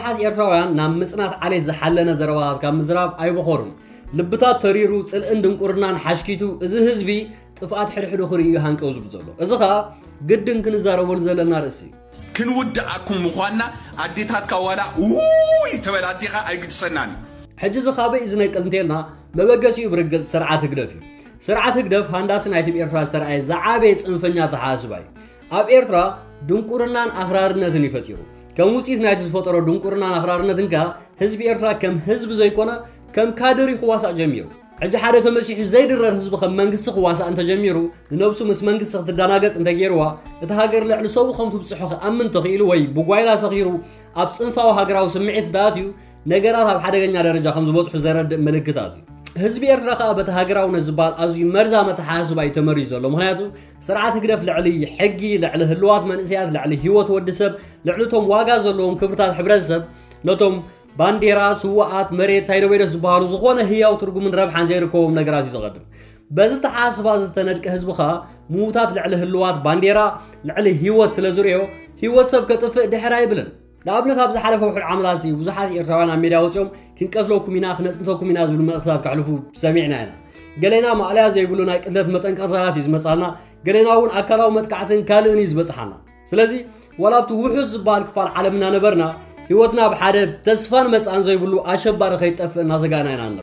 ብዙሓት ኤርትራውያን ናብ ምጽናት ዓሌት ዝሓለነ ዘረባታት ካብ ምዝራብ ኣይበኾሩን። ልብታት ተሪሩ፣ ጽልእን ድንቁርናን ሓሽኪቱ፣ እዚ ህዝቢ ጥፍኣት ሕድሕዱ ክርኢ እዩ ሃንቀው ዝብል ዘሎ። እዚ ኸኣ ግድን ክንዛረበሉ ዘለና ርእሲ እዩ። ክንውድኣኩም ምዃንና ኣዴታትካ ዋላ ውይ ተበላ ኣዴኻ ኣይግድሰናን። ሕጂ እዚ ካበይ እዩ ዝነቅል እንተልና፣ መበገሲኡ ብርግጽ ስርዓት ህግደፍ እዩ። ስርዓት ህግደፍ ሃንዳሲ ናይቲ ብኤርትራ ዝተረኣየ ዝዓበየ ጽንፈኛ ኣተሓሳስባ እዩ። ኣብ ኤርትራ ድንቁርናን ኣኽራርነትን እዩ ፈጢሩ። ከም ውጽኢት ናይቲ ዝፈጠሮ ድንቁርናን ኣኽራርነትን ከኣ ህዝቢ ኤርትራ ከም ህዝቢ ዘይኮነ ከም ካድሪ ክዋሳእ ጀሚሩ። ሕጂ ሓደ ተመሲሑ ዘይድረር ህዝቢ ከም መንግስቲ ክዋሳእ እንተጀሚሩ፣ ንነብሱ ምስ መንግስቲ ክትደናገጽ እንተገይርዋ፣ እቲ ሃገር ልዕሊ ሰቡ ከም ትብጽሖ ክኣምን ተኽኢሉ ወይ ብጓይላ ሰኺሩ ኣብ ጽንፋዊ ሃገራዊ ስምዒት እንተኣትዩ፣ ነገራት ኣብ ሓደገኛ ደረጃ ከም ዝበጽሑ ዘረድእ ምልክታት እዩ። ህዝቢ ኤርትራ ከኣ በቲ ሃገራውነት ዝበሃል ኣዝዩ መርዛም ኣተሓሳስባ እዩ ተመሪዙ ዘሎ። ምኽንያቱ ስርዓት ህግደፍ ልዕሊ ሕጊ፣ ልዕሊ ህልዋት መንእሰያት፣ ልዕሊ ህይወት ወዲ ሰብ፣ ልዕሊ እቶም ዋጋ ዘለዎም ክብርታት ሕብረተሰብ፣ ነቶም ባንዴራ፣ ስውኣት፣ መሬት፣ ታይዶ በይዶ ዝበሃሉ ዝኾነ ህያው ትርጉምን ረብሓን ዘይርከቦም ነገራት እዩ ዘቐድም። በዚ ተሓሳስባ ዝተነድቀ ህዝቢ ኸኣ ምዉታት ልዕሊ ህልዋት፣ ባንዴራ ልዕሊ ህይወት ስለ ዝርእዮ፣ ህይወት ሰብ ከጥፍእ ድሕር ኣይብልን። ንኣብነት ኣብ ዝሓለፈ ውሑድ ዓመታት ሲ ብዙሓት ኤርትራውያን ኣብ ሜድያ ወጺኦም ክንቀትለኩም ኢና፣ ክነጽንተኩም ኢና ዝብል መልእኽትታት ከሕልፉ ሰሚዕና ኢና። ገሌና ማእለያ ዘይብሉ ናይ ቅትለት መጠንቀቕታታት እዩ ዝመጻና፣ ገሌና እውን ኣካላዊ መጥቃዕትን ካልእን እዩ ዝበጽሓና። ስለዚ ዋላ ኣብቲ ውሑስ ዝበሃል ክፋል ዓለም እናነበርና ህይወትና ብሓደ ተስፋን መጻእን ዘይብሉ ኣሸባሪ ከይጠፍእ እናሰጋእና ኢና ንነብር።